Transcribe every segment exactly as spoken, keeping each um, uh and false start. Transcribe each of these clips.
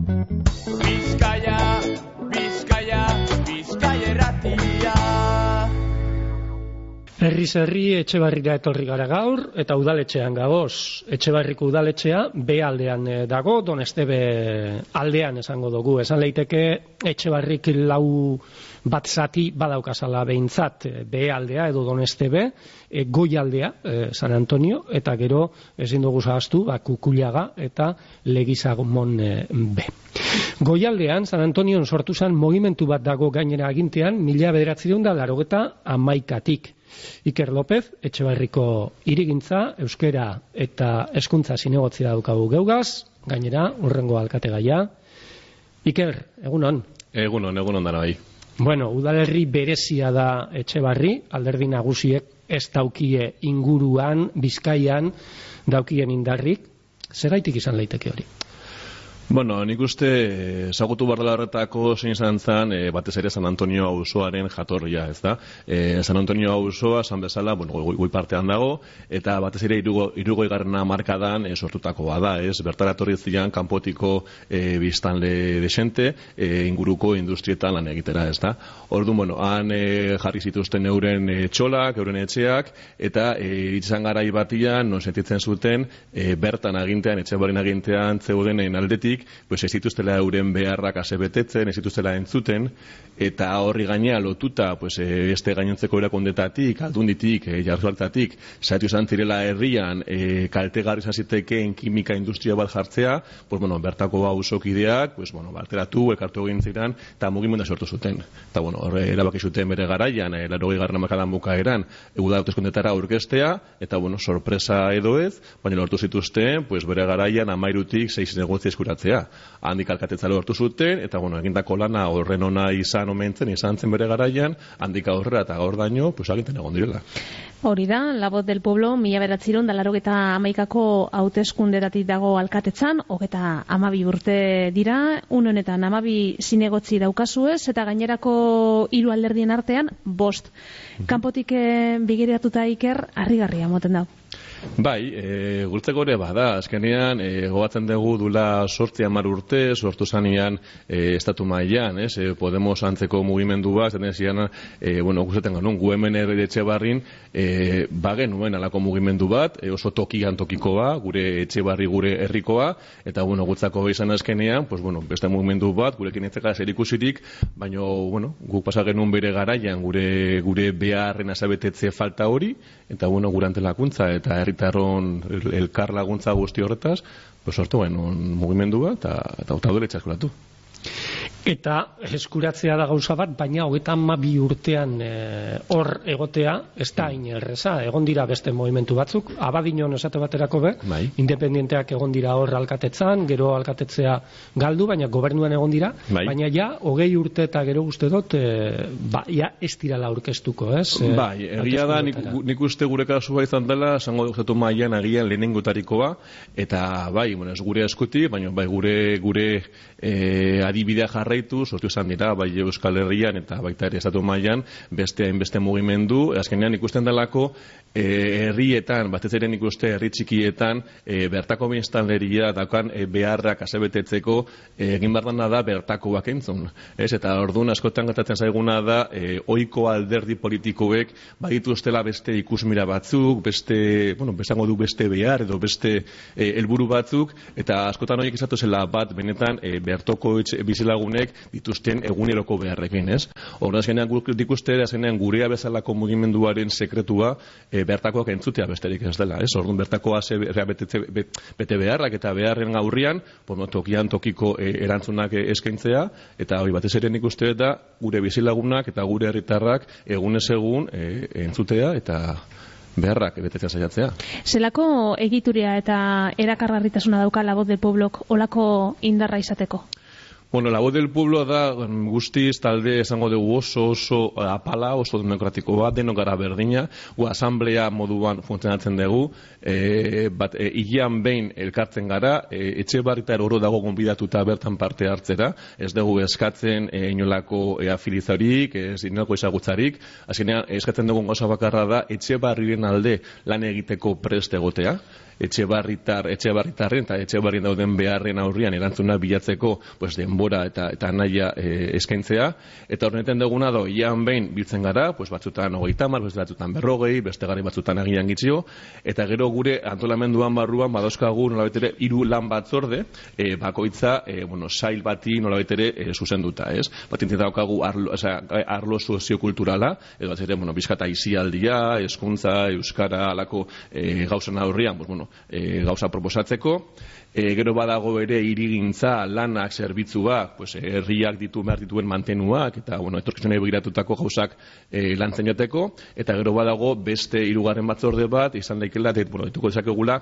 Bizkaia, Bizkaia, Bizkaia erratia. Herriz herri Etxebarrira etorri gara gaur, eta udaletxean gagoz. Etxebarriko udaletxea B aldean dago, Donestebe aldean esango dugu. Esan leiteke Etxebarrik lau bat zati badaukazala behintzat, B aldea edo Donestebe, e, goi aldea, e, San Antonio, eta gero ezin dugu zahaztu, ba, Kukuliaga eta Legizamon e, B. Goialdean, San Antonion sortu zen mugimendu bat dago gainera agintean, mila bederatziehun eta laurogeta hamaikatik. Iker López, Etxebarriko hirigintza, euskera eta hezkuntza zinegotzia daukagu geugaz, gainera, urrengo alkategaia. Iker, egunon? Egunon, egunon dara bai. Bueno, udalerri berezia da Etxebarri, alderdi nagusiek ez daukie inguruan, Bizkaian daukien indarrik. Zergaitik izan leiteke hori? Bueno, nik uste ezagutu behar dela horretako zein izan zen e, batez ere San Antonio auzoaren jatorria, ez da? E, San Antonio auzoa, esan bezala, bueno, goi, goi partean dago, eta batez ere hirurogei garrena markadan e, sortutakoa da, ez? Bertara etorri ziren kanpotiko e, biztanle desente, e, inguruko industrietan lan egitera, ez da? Orduan, bueno, han e, jarri zituzten euren e, txolak, euren etxeak, eta e, iritzan garai batian, non sentitzen zuten, e, bertan agintean, Etxebarrin agintean zeudenen aldetik, pues ez dituztela euren beharrak asebetetzen, ez dituztela entzuten, eta horri gainea lotuta, pues beste gainontzeko erakundetatik, aldunditik, e, jarduartatik, saiatu izan zirela herrian, e, kaltegarri izan zitekeen kimika industria bat jartzea, pues bueno, bertako auzokideak, pues bueno, barteratu, elkartu egin ziren, eta mugimendua sortu zuten. Eta bueno, horre erabaki zuten bere garaian, e, laurogei garren hamarkadan bukaeran, uda hauteskundetara aurkeztea, eta bueno, sorpresa edo ez, baina lortu zituzten, pues bere garaian hamairutik sei negozio eskuratzea. Handik alkatetza lortu zuten, eta bueno, egindako lana horren ona izan omentzen, izan zen bere garaian, handik aurrera eta gaur daño, pues aginten egon direla. Hori da, La Voz del Pueblo, mila bederatziehun eta laurogeta hamaikako hauteskundetatik dago alkatetzan, hogeta hamabi urte dira, une honetan hamabi zinegotzi daukazuez, eta gainerako hiru alderdien artean, bost. Kanpotik begiratuta Iker, harrigarria moten da. Bai, e, gurtzeko ere bada, azkenean e, gobatzen dugu dula sortzi hamar urte, sortu zanean e, estatu mailan, ez? E, Podemos antzeko mugimendu bat, zaten zian, e, bueno, gustaten ganun, gu hemen ere Etxebarrin, e, bagen nuen alako mugimendu bat, e, oso tokian tokikoa, gure Etxebarri gure herrikoa, eta, bueno, gutzako izan azkenean, pues, bueno, beste mugimendu bat, gurekin etzeka zerikusirik, baina, bueno, guk pasa genuen bere garaian, gure, gure beharren azabetetze falta hori, eta, bueno, gure antelakuntza, eta herritarron elkar laguntza guzti horretaz, pues sortu genuen mugimendu bat, eta hautadoletxa eskuratu. Eta eskuratzea da gauza bat, baina hogeita hamabi urtean hor e, egotea, ez da hain erreza. Egon dira beste movimentu batzuk, Abadiñon esate baterako be, bai. Independienteak egon dira hor alkatetzan, gero alkatetzea galdu, baina gobernuan egon dira, bai. Baina ja, hogei urte eta gero uste dut, e, ba, ja ez dirala aurkeztuko, ez? E, bai, egia da, nik, nik uste gure kasua izan dela, zango duzatu mailan agian lehenengotarikoa, eta bai, bueno, ez gure eskuti, baina bai, gure, gure e, adibidea jarra sortu izan dira, bai Euskal Herrian eta baita ere estatu mailan beste hainbeste mugimendu, azkenean ikusten delako e, herrietan, batez ere ikuste herri txikietan, e, bertako biztanleria daukan e, beharrak asebetetzeko e, egin behar da bertakoak entzun. Ez? Eta orduan askotan gertatzen zaiguna da e, ohiko alderdi politikoek badituztela beste ikusmira batzuk, beste, bueno, bezango du beste behar edo beste helburu e, batzuk, eta askotan horiek izatu zela bat benetan e, bertoko bizilagunek dituzten eguneroko beharrekin, ez? Horren azkenean ikuste azkenean gurea bezalako mugimenduaren sekretua e, bertakoak entzutea besterik ez dela, ez? Orduan bertakoa ze bete beharrak eta beharren aurrian, bueno, tokian tokiko e, erantzunak e, eskaintzea, eta hori batez ere ikuste da gure bizilagunak eta gure herritarrak egunez egun e, entzutea eta beharrak betetzen saiatzea. Zelako egituria eta erakargarritasuna dauka La Voz del Pueblok olako indarra izateko? Bueno, la voz del pueblo da guztiz talde esango dugu oso oso apala, oso demokratiko bat, denok gara berdina, gu asamblea moduan funtzionatzen dugu, e, bat e, hilean behin elkartzen gara, e, Etxebarritar oro dago gonbidatuta bertan parte hartzera, ez dugu eskatzen e, inolako e, afilizarik, ez inolako ezagutzarik, azkenean eskatzen dugun gauza bakarra da Etxebarriren alde lan egiteko prest egotea, Etxebarritar, Etxebarritarren eta Etxebarrien dauden beharren aurrian erantzuna bilatzeko pues, denbora eta eta naia e, eskaintzea, eta horrenetan duguna da, ian behin biltzen gara, pues, batzutan hogeita hamar, beste batzutan berrogei, beste gari batzutan agian gitzio, eta gero gure antolamenduan barruan badauzkagu nolabait ere hiru lan batzorde, e, bakoitza e, bueno, sail bati nolabait ere e, zuzenduta, ez? Bat intzita daukagu arlo, oza, arlo soziokulturala, edo bat ere, bueno, bizkata izialdia, hezkuntza, euskara, alako e, gauzan aurrian, pues, bueno, E, gauza proposatzeko, e, gero badago ere hirigintza, lanak, zerbitzuak, pues, herriak ditu behar dituen mantenuak, eta bueno, etorkizunei begiratutako gauzak e, lantzen jateko, eta gero badago beste hirugarren batzorde bat, izan daikela, et, bueno, dituko dezakegula,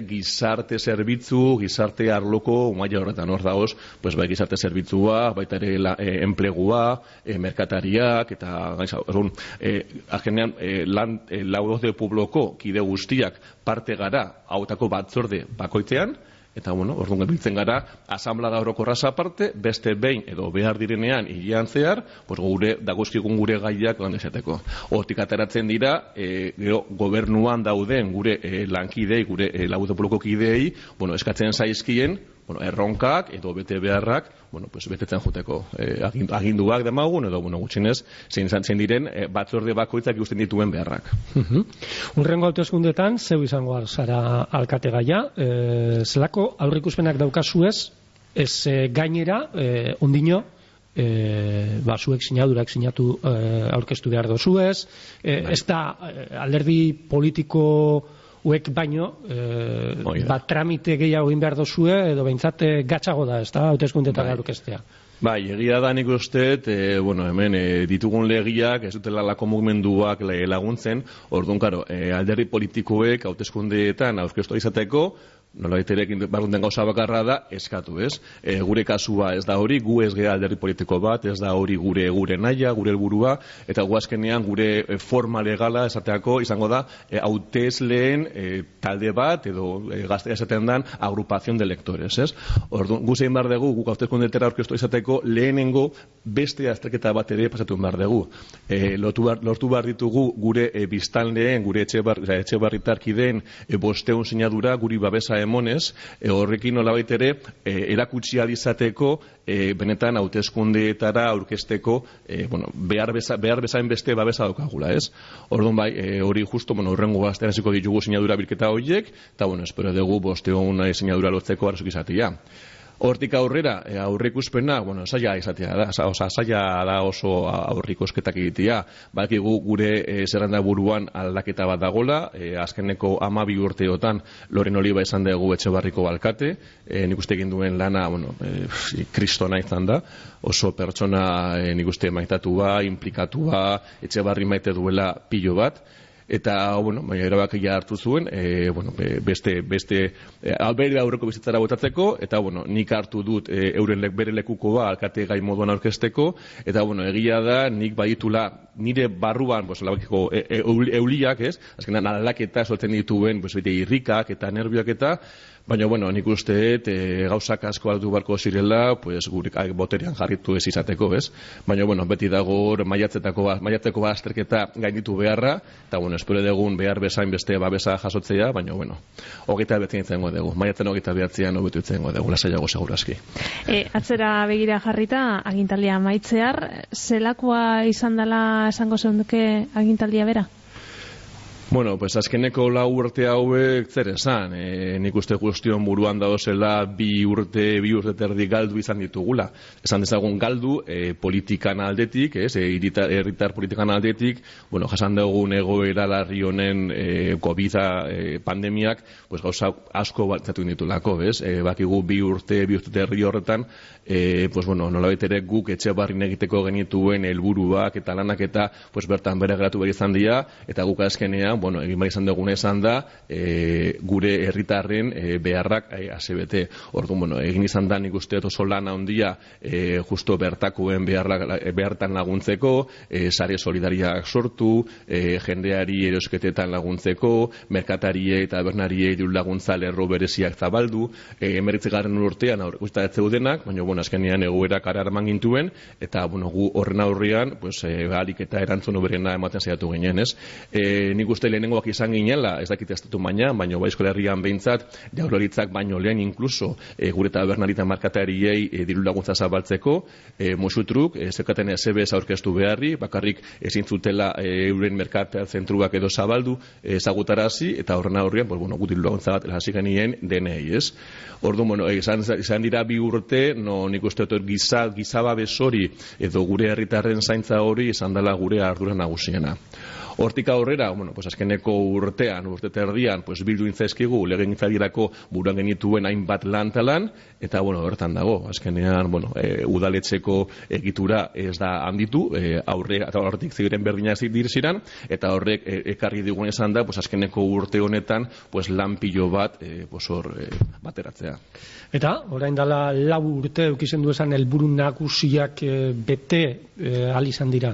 gizarte zerbitzu, gizarte arloko, maila horretan hor dagoz, pues, bai, gizarte zerbitzua, baita ere la, e, enplegua, e, merkatariak, eta gaisa, orduan, e, agenean, e, lan, e, lau de puebloko kide guztiak parte gara hautako batzorde bakoitzean, eta bueno, orduan biltzen gara asamblea orokorraz aparte, beste behin edo behar direnean hilean zehar, pues gure dagozkigun gure gaiak lan esateko. Hortik ateratzen dira, e, gero gobernuan dauden gure e, lankidei, gure e, lagude poloko kidei, bueno, eskatzen zaizkien, bueno, erronkak edo bete beharrak, bueno, pues betetzen joteko eh, aginduak demagun edo bueno, gutxinez zein izan diren eh, batzorde bakoitzak ikusten dituen beharrak. Uh-huh. Urrengo hauteskundetan zeu izango zara alkategaia, eh, zelako aurreikuspenak daukazuez, ez eh, gainera eh, ondino E, ba, zuek sinadurak sinatu e, aurkeztu behar dozuez, e, ez da e, alderdi politiko uek baino e, bat tramite gehiago egin behar dozue edo behintzat gatzago da, ez da, hauteskundetara aurkeztea. Bai, egia da nik uste, e, bueno, hemen e, ditugun legiak, ez dutela lako mugimenduak laguntzen, orduan, karo, e, alderdi politikoek hauteskundeetan aurkeztu izateko, nola baiterekin barrunten gauza bakarra da, eskatu, ez? E, gure kasua ez da hori, gu ez gea alderdi politiko bat, ez da hori gure gure naia, gure helburua, eta gu azkenean gure forma legala esateako izango da, e, hautesleen e, talde bat, edo e, gaztea esaten dan, agrupazion de lectores, ez? Orduan, gu zein bar dugu, guk hauteskundetara aurkeztu izateko, lehenengo beste azterketa bat ere pasatu bar dugu. E, lortu, bar, lortu bar ditugu gure e, biztanleen, gure etxe, bar, etxe barritarkideen e, bosteun sinadura, guri babesa emonez, e, horrekin nolabait ere e, erakutsi alizateko e, benetan hauteskundeetara aurkezteko e, bueno, behar, beza, behar bezain beste babesa daukagula, ez? Orduan bai, e, hori justo, bueno, horrengo gaztean hasiko ditugu sinadura bilketa horiek, eta bueno, espero dugu bosteun sinadura lotzeko arzuk izatea. Hortik aurrera, aurreikuspena, bueno, saia izatea da, oza, saia da oso aurreikusketak egitea. Badakigu gure e, zerrenda buruan aldaketa bat dagola, e, azkeneko hamabi urteotan Loren Oliba izan dugu Etxebarriko alkate, e, nik uste egin duen lana, bueno, e, kristona izan da, oso pertsona e, nik uste maitatua, implikatua, Etxebarri maite duela pilo bat, eta, bueno, erabakia hartu zuen, e, bueno, beste, beste, e, alberi aurreko bizitzara botatzeko, eta, bueno, nik hartu dut e, euren lek, bere lekukoa alkate gai moduan aurkezteko, eta, bueno, egia da, nik baditula nire barruan, pues, labakiko e, e, euliak, ez? Azkenan, aldaketa soltzen dituen, pues, bete irrikak eta nervioak eta, baina, bueno, nik uste e, gauzak asko aldu barko zirela, pues, gure boterean jarritu ez izateko, ez? Baina, bueno, beti dago maiatzetako maiatzeko bazterketa gainditu beharra, eta, bueno, espero dugun behar bezain beste babesa jasotzea, baina, bueno, hogeita betzen itzengo dugu. Maiatzen hogeita behatzean hobetu itzengo dugu, lasaiago segurazki. E, atzera begira jarrita, agintaldia maitzear, zelakoa izan dela esango zeunduke agintaldia bera? Bueno, pues azkeneko lau urte hauek zer esan, e, nik uste guztion buruan dauzela bi urte, bi urte terdi galdu izan ditugula. Esan dezagun galdu e, politikan aldetik, ez, e, herritar politikan aldetik, bueno, jasan dugun egoera larri honen e, COVID e, pandemiak, pues gauza asko batzatu ditulako, ez, e, bakigu bi urte, bi urte terdi horretan, e, pues bueno, nolabait ere guk Etxebarrin egiteko genituen helburuak eta lanak eta, pues bertan bere geratu behar izan dira, eta guk azkenean, bueno, egin behar izan duguna izan da, e, gure herritarren e, beharrak e, asebete. Orduan, bueno, egin izan da nik uste oso lan handia e, justo bertakoen beharrak, behartan laguntzeko, e, sare solidariak sortu, e, jendeari erosketetan laguntzeko, merkatariei eta bernariei diru laguntza lerro bereziak zabaldu, e, emeritzigarren urtean aurrekusta ez zeudenak, baina, bueno, azkenean egoerak ararman gintuen, eta, bueno, gu horren aurrean, pues, e, galik eta erantzun oberena ematen saiatu ginen, ez? E, nik uste lehenengoak izan ginela, ez dakit estatu baina, baina bai Euskal Herrian behintzat, jaurlaritzak baino lehen inkluso, e, gure tabernarita markatariei e, diru laguntza zabaltzeko, e, musutruk, e, zeukaten S B S aurkeztu beharri, bakarrik ezin zutela e, euren merkat zentruak edo zabaldu e, ezagutarazi, eta horren aurrean, pues, bueno, gu diru laguntza bat hasi genien denei, ez? Orduan, bueno, izan, izan dira bi urte, no, nik uste dut giza, gizaba besori edo gure herritarren zaintza hori izan dela gure ardura nagusiena. Hortik aurrera, bueno, pues azkeneko urtean, urte terdian, pues bildu intzaizkigu legegintzaldirako buruan genituen hainbat lan talan, eta, bueno, horretan dago, azkenean, bueno, e, udaletxeko egitura ez da handitu, e, aurre, eta horretik ziren berdinak dirziran, eta horrek e, ekarri digun esan da, pues azkeneko urte honetan, pues lan pilo bat, e, pues hor, e, bateratzea. Eta, orain dela lau urte eukizen du esan helburu nagusiak e, bete e, ahal izan dira.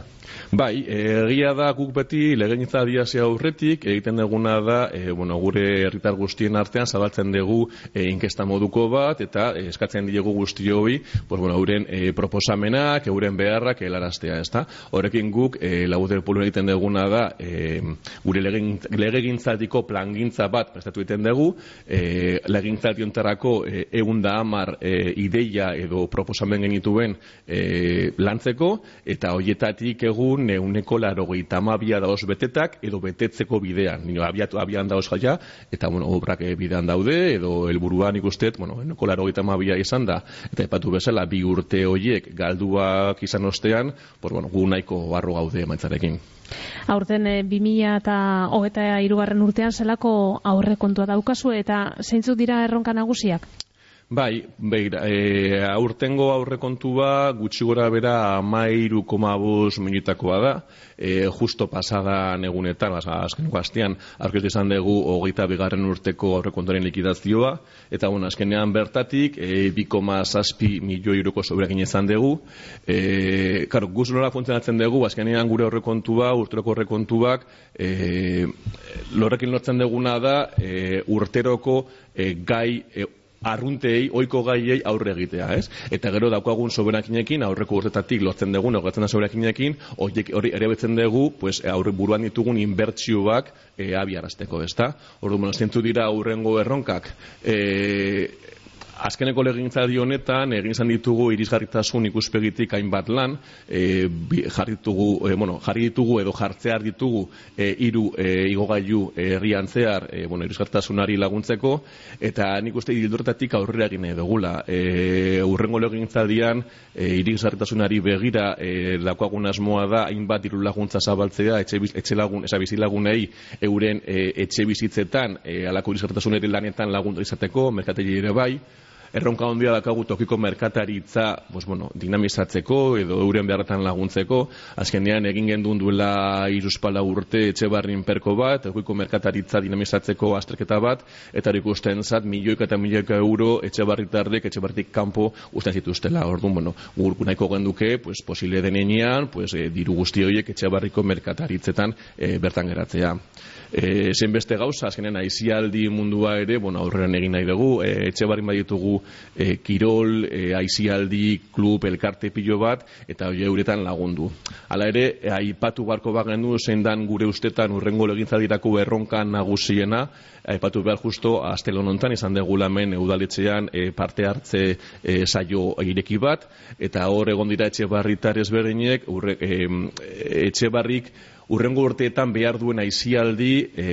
Bai, egia da guk beti legegintza diazia aurretik egiten duguna da, e, bueno, gure herritar guztien artean zabaltzen dugu e, inkesta moduko bat, eta e, eskatzen diegu guztioi, pues, bueno, euren e, proposamenak, euren beharrak helaraztea, ezta? Horrekin guk e, Laguter Pueblo egiten duguna da, e, gure legegintzatiko plangintza bat prestatu egiten dugu, e, legegintzati hontarako e, ehun eta hamar e, ideia edo proposamen genituen e, lantzeko, eta horietatik egun neuneko laurogeita hamabia daoz betetak edo betetzeko bidean. Nino, abiatu, abian daoz jaia, eta, bueno, obrak bidean daude, edo helburuan ikustet, bueno, neuneko laurogeita hamabia izan da, eta epatu bezala, bi urte horiek galduak izan ostean, pues, bueno, gu nahiko barro gaude emaitzarekin. Aurten e, bi mila hogeita hirugarren urtean zelako aurrekontua daukazu, eta zeintzuk dira erronka nagusiak? Bai, beira, e, aurtengo aurrekontua gutxi gora bera hamairu koma bost milioitakoa da, e, justo pasadan egunetan, azkeneko astean, aurkeztu izan dugu hogeita bigarren urteko aurrekontuaren likidazioa, eta, bueno, azkenean bertatik, e, bi koma zazpi milioi euroko sobrekin izan dugu. E, karo, guz nola funtzionatzen dugu, azkenean gure aurrekontua, urteroko aurrekontuak, e, lorrekin lortzen duguna da, e, urteroko e, gai, e, arruntei, oiko gaiei aurre egitea, ez? Eta gero daukagun soberakinekin, aurreko urtetatik lotzen dugun, aurretzen da soberakinekin, hori ere betzen dugu, pues, aurre buruan ditugun inbertsioak e, abiarazteko, ezta? Orduan, bueno, zentzu dira aurrengo erronkak. E, Azkeneko legegintzaldi honetan egin izan ditugu irisgarritasun ikuspegitik hainbat lan, e, jarri ditugu, e, bueno, jarri ditugu edo jartzear ditugu e, hiru e, igogailu herrian zehar, e, bueno, irisgarritasunari laguntzeko, eta nik uste hildortatik aurrera egin dugula. E, urrengo legegintzaldian e, irisgarritasunari begira e, daukagun asmoa da hainbat diru laguntza zabaltzea etxe, etxe lagun, esa bizilagunei euren e, etxe bizitzetan e, alako irisgarritasunari lanetan laguntza izateko, merkategi ere bai. Erronka handia dakagu tokiko merkataritza, pues, bueno, dinamizatzeko edo euren beharretan laguntzeko. Azkenean egin gendun duela hiruspala urte Etxebarrin perko bat, tokiko merkataritza dinamizatzeko azterketa bat, eta ikusten zat milioika eta milioika euro Etxebarritarrek Etxebarritik kanpo usten zituztela. Orduan, bueno, gurku nahiko genduke, pues, posible denean, pues, e, diru guzti horiek Etxebarriko merkataritzetan e, bertan geratzea. E, zein beste gauza, azkenean aizialdi mundua ere, bueno, aurreran egin nahi dugu, e, Etxebarrin baditugu e, kirol, e, aizialdi, klub, elkarte pilo bat, eta hori euretan lagundu. Hala ere, e, aipatu barko bagendu, zein dan gure ustetan urrengo legintzaldirako erronka nagusiena, aipatu behar justo, astelon hontan izan dugu lamen udaletxean e, parte hartze e, saio ireki bat, eta hor egon dira Etxebarritar ezberdinek, urre, e, Etxebarrik urrengo urteetan behar duen aizialdi e,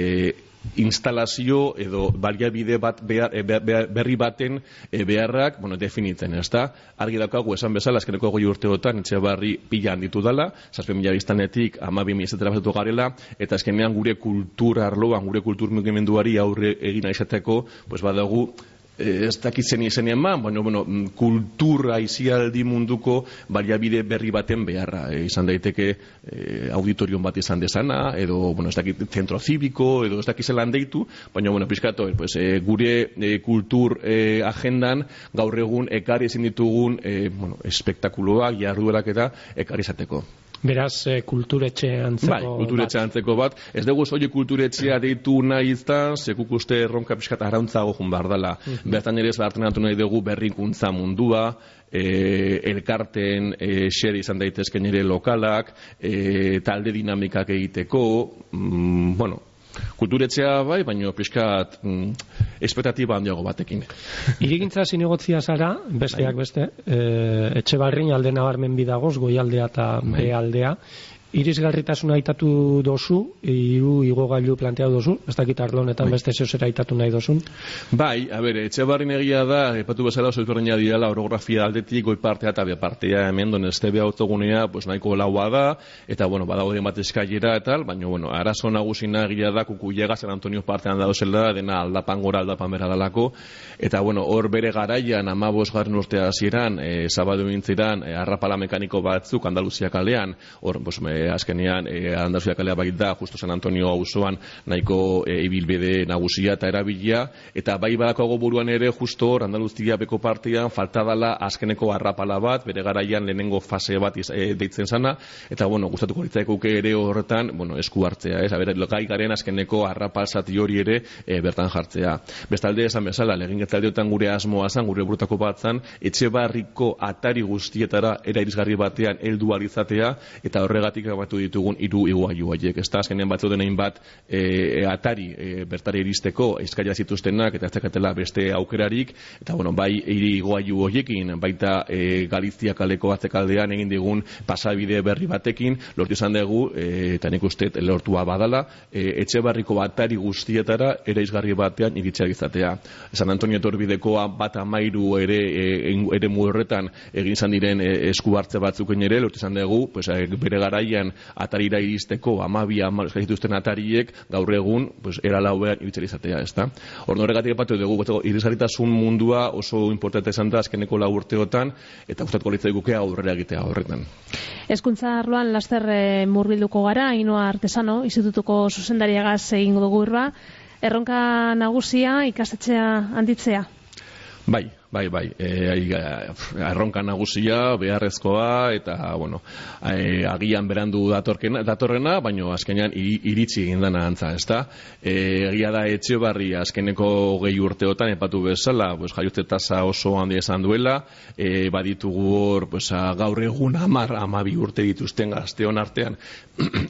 instalazio edo baliabide bat behar, e, berri baten e, beharrak, bueno, definitzen, ez da? Argi daukagu esan bezala, azkeneko goi urteotan Etxebarri pila handitu dela, zazpe mila biztanetik hamabi mila zetera basatu garela, eta azkenean gure kultur arloan, gure kultur mugimenduari aurre egina izateko, pues badagu ez dakitzen izenien man, baina bueno, kultura izialdi munduko baliabide berri baten beharra. E, izan daiteke e, auditorion bat izan dezana, edo bueno, ez dakit zentro zibiko, edo ez dakizelan deitu, baina bueno, pizkato, pues, e, gure e, kultur e, agendan gaur egun ekarri ezin ditugun e, bueno, espektakuloak, jarduerak eta ekarri izateko. Beraz, e, kulturetxe antzeko bai, kulturetxe antzeko bat. Ez dugu soilik kulturetxea deitu nahi izan, sekuk uste erronka pixkat arauntzago jun behar dela. Mm-hmm. Bertan ere ez behartenatu nahi dugu berrikuntza mundua, e, elkarten e, xere izan daitezken ere lokalak, e, talde dinamikak egiteko, mm, bueno, kulturetxea bai, baina pixkat mm, espektatiba handiago batekin. Hirigintza zinegotzia zara, besteak beste, e, Etxebarrin alde nabarmen bidagoz, goialdea eta behealdea. Irisgarritasuna aitatu dozu, hiru igogailu planteatu dozu, ez dakit arlo honetan beste zeozera aitatu nahi dozun. Bai, a ber, Etxebarrin egia da, epatu bezala oso ezberdina direla orografia aldetik, goi partea eta be partea hemen Donestebe autogunea, pues nahiko laua da, eta bueno, badaude bat eskailera eta tal, baina bueno, arazo nagusina egia da Kukuiega San Antonio partean dauzela, dena aldapan gora aldapan bera dalako, eta bueno, hor bere garaian amabos garren urtea hasieran, e, zabadu gintziran, e, arrapala mekaniko batzuk Andaluzia kalean, hor, pues, me, azkenean e, Andaluzia kalea bait da, justo San Antonio auzoan nahiko e, ibilbide nagusia eta erabilia, eta bai badakoago buruan ere justo hor Andaluzia beko partean falta dala azkeneko arrapala bat, bere garaian lehenengo fase bat iz, e, deitzen sana, eta bueno, gustatuko litzaikuke ere horretan, bueno, esku hartzea, ez, aber, gai garen azkeneko arrapal zati hori ere e, bertan jartzea. Bestalde esan bezala, legingetaldeotan gure asmoa zan, gure burutako bat zan, Etxebarriko atari guztietara era irisgarri batean heldu ahal izatea, eta horregatik batu ditugun hiru igogailu haiek. Ezta azkenean batzu denein bat e, atari e, bertari iristeko eskaila zituztenak eta ez dakatela beste aukerarik, eta bueno, bai hiri igogailu horiekin baita e, Galizia kaleko atzekaldean egin digun pasabide berri batekin lortu izan dugu, e, eta nik uste lortua badala, e, Etxebarriko atari guztietara eraizgarri batean iritsia izatea. San Antonio etorbidekoa bat amairu ere e, ere horretan egin izan diren e, esku hartze batzuken ere lortu izan dugu, pues, e, bere garaian atarira iristeko amabi amal eskazituzten atariek gaur egun pues, era lauean iritxera izatea, ezta? Ordu horregatik epatu dugu, irisgarritasun mundua oso importante izan da azkeneko lau urteotan, eta gustatuko litzaiguke aurrera egitea horretan. Hezkuntza arloan laster e, murbilduko gara, Ainhoa Artesano, institutuko zuzendariagaz egingo dugu irba, erronka nagusia ikastetxea handitzea? Bai, bai, bai, e, erronka nagusia, beharrezkoa, eta, bueno, e, agian berandu datorkena, datorrena, baina azkenean iritsi egin dana antza, ezta? E, egia da Etxebarri azkeneko gehi urteotan, epatu bezala, pues, jaiotze tasa oso handia esan duela, e, baditugu hor, pues, gaur egun amar, amabi urte dituzten gazteon artean,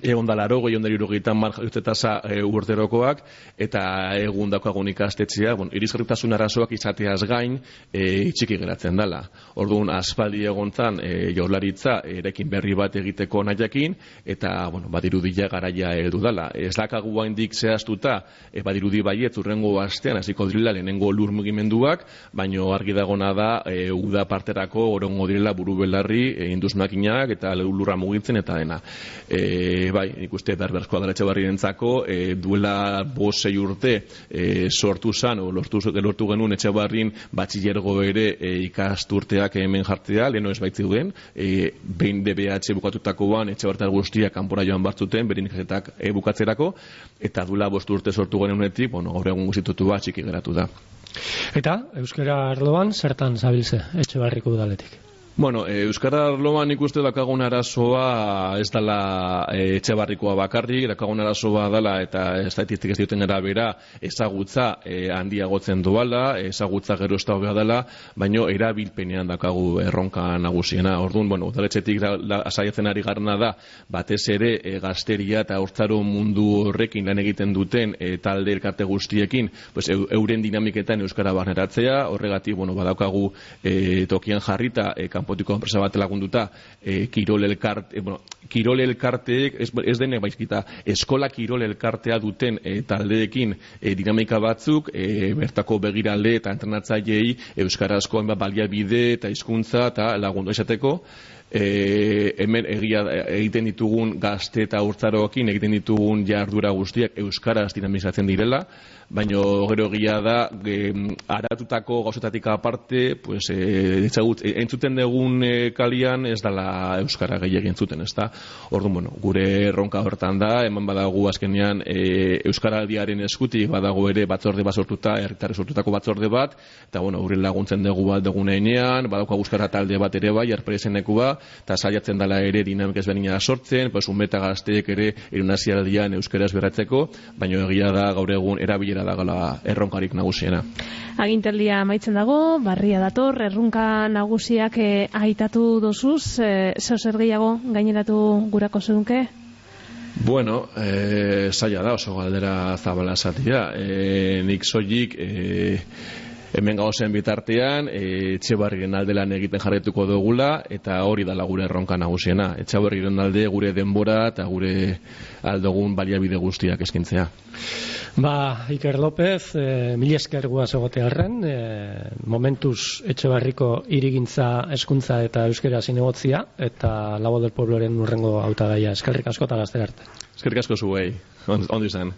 egon da laro, gehi ondari urogeita mar jaiotze tasa e, urterokoak, eta egun dakoagun ikastetxea, bueno, irisgarritasun arazoak izateaz gain, E, txiki geratzen dela. Orduan, aspaldi egontzan e, jaurlaritza erekin berri bat egiteko nahiakin, eta, bueno, badirudia garaia heldu dela. Ez dakagu haindik zehaztuta, e, badirudi baiet, urrengo astean, hasiko direla lehenengo lur mugimenduak, baino argi dagona da, e, uda parterako orongo direla buru belarri, e, induz makinak, eta lurra mugitzen, eta dena. E, bai, nik uste berberzkoa dela Etxebarrirentzako, e, duela bosei urte e, sortu zan, o lortu, lortu genuen Etxebarrin batxiller ere e, ikasturteak hemen jartzea, leheno ez baitziuden, e, behin D B H bukatutakoan Etxebarritar guztiak kanpora joan bartzuten, berin ikasetak e, bukatzerako, eta duela bost urte sortu genunetik, bueno, gaur egun guztitutu bat txiki geratu da. Eta, euskara arloan, zertan zabiltze Etxebarriko udaletik? Bueno, e, euskara arloan ikuste dakagun arazoa ez dela e, Etxebarrikoa bakarrik, dakagun arazoa dela eta estatistik ez duten arabera ezagutza e, handiagotzen doala, ezagutza gero ez da hobea dela, baino erabilpenean dakagu erronka nagusiena. Orduan, bueno, udaletxetik asaiatzen ari garna da, batez ere e, gazteria eta hortzaro mundu horrekin lan egiten duten e, talde elkarte guztiekin, pues, e, euren dinamiketan euskara barneratzea, horregatik, bueno, badaukagu e, tokian jarrita e, kanpotiko enpresa bat lagunduta, e, kirol elkarte, e, bueno, kirol elkarteek, ez, ez denek baizkita, eskola kirol elkartea duten e, taldeekin e, dinamika batzuk, e, bertako begirale eta entrenatzaileei euskarazko hainbat baliabide eta hizkuntza eta lagundu esateko, E, hemen egia egiten ditugun gazte eta urtzaroekin egiten ditugun jardura guztiak euskaraz dinamizatzen direla, baina gero egia da e, aratutako gauzetatik aparte, pues, e, etzagut, e, entzuten dugun e, kalian ez dela euskara gehiagin entzuten, ez da? Orduan, bueno, gure erronka hortan da, eman badago azkenean e, euskaraldiaren eskutik badago ere batzorde bat sortuta, herritarrek sortutako batzorde bat, eta bueno, gure laguntzen dugu bat dugun einean, badauka euskara talde bat ere bai, arpreseneku ba, eta saiatzen dela ere dinamik ezberdina sortzen, pues unbeta gazteek ere irunazioaldian euskaraz berratzeko, baina egia da gaur egun erabilera da gala erronkarik nagusiena. Agintaldia amaitzen dago, barria dator, erronka nagusiak eh, aitatu dozuz, eh, zeo zer gehiago gaineratu gurako zedunke? Bueno, eh, zaila da, oso galdera zabala zatia. Eh, nik soilik eh, hemen gauzen bitartean, e, Etxebarriren alde lan egiten jarretuko dugula, eta hori dala gure erronka nagusiena. Etxebarriren alde gure denbora eta gure aldogun baliabide guztiak eskintzea. Ba, Iker López, e, mil esker guaz egotearren, e, momentuz Etxebarriko hirigintza, hezkuntza eta euskera zinegotzia, eta La Voz del Puebloren urrengo hautagaia. Eskerrik asko eta gazte arte. Eskerrik asko zuei, ondo izan.